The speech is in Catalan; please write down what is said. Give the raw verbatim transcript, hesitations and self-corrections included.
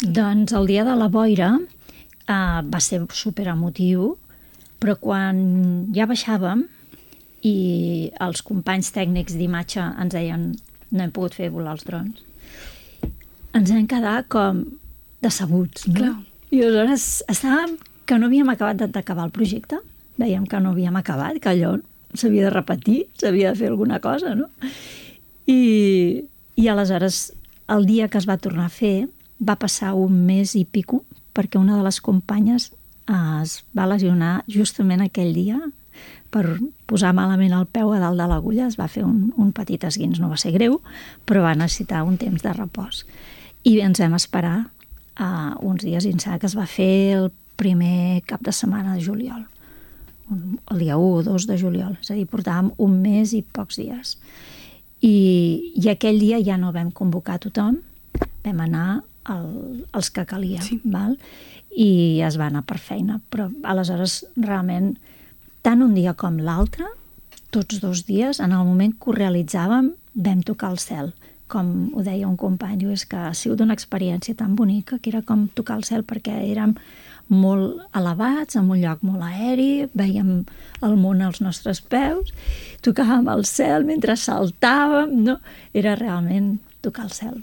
Doncs el dia de la boira uh, va ser superemotiu, però quan ja baixàvem i els companys tècnics d'imatge ens deien no hem pogut fer volar els drons, ens vam quedar com decebuts, no? Clar. I aleshores estàvem que no havíem acabat d'acabar el projecte, veiem que no havíem acabat, que allò s'havia de repetir, s'havia de fer alguna cosa, no? I, i aleshores, el dia que es va tornar a fer, va passar un mes i pico, perquè una de les companyes eh, es va lesionar justament aquell dia per posar malament el peu a dalt de l'agulla, es va fer un, un petit esguins, no va ser greu, però va necessitar un temps de repòs. I ens vam esperar uh, uns dies i em sembla que es va fer el primer cap de setmana de juliol, el dia u o dos de juliol, és a dir, portàvem un mes i pocs dies. I, i aquell dia ja no vam convocar tothom, vam anar el, els que calia, sí. val? I es va anar per feina, però aleshores realment tant un dia com l'altre, tots dos dies, en el moment que ho realitzàvem, vam tocar el cel. Com ho deia un company, diu, és que ha sigut una experiència tan bonica que era com tocar el cel perquè érem molt elevats, en un lloc molt aeri, veiem el món als nostres peus, tocàvem el cel mentre saltàvem, no? Era realment tocar el cel.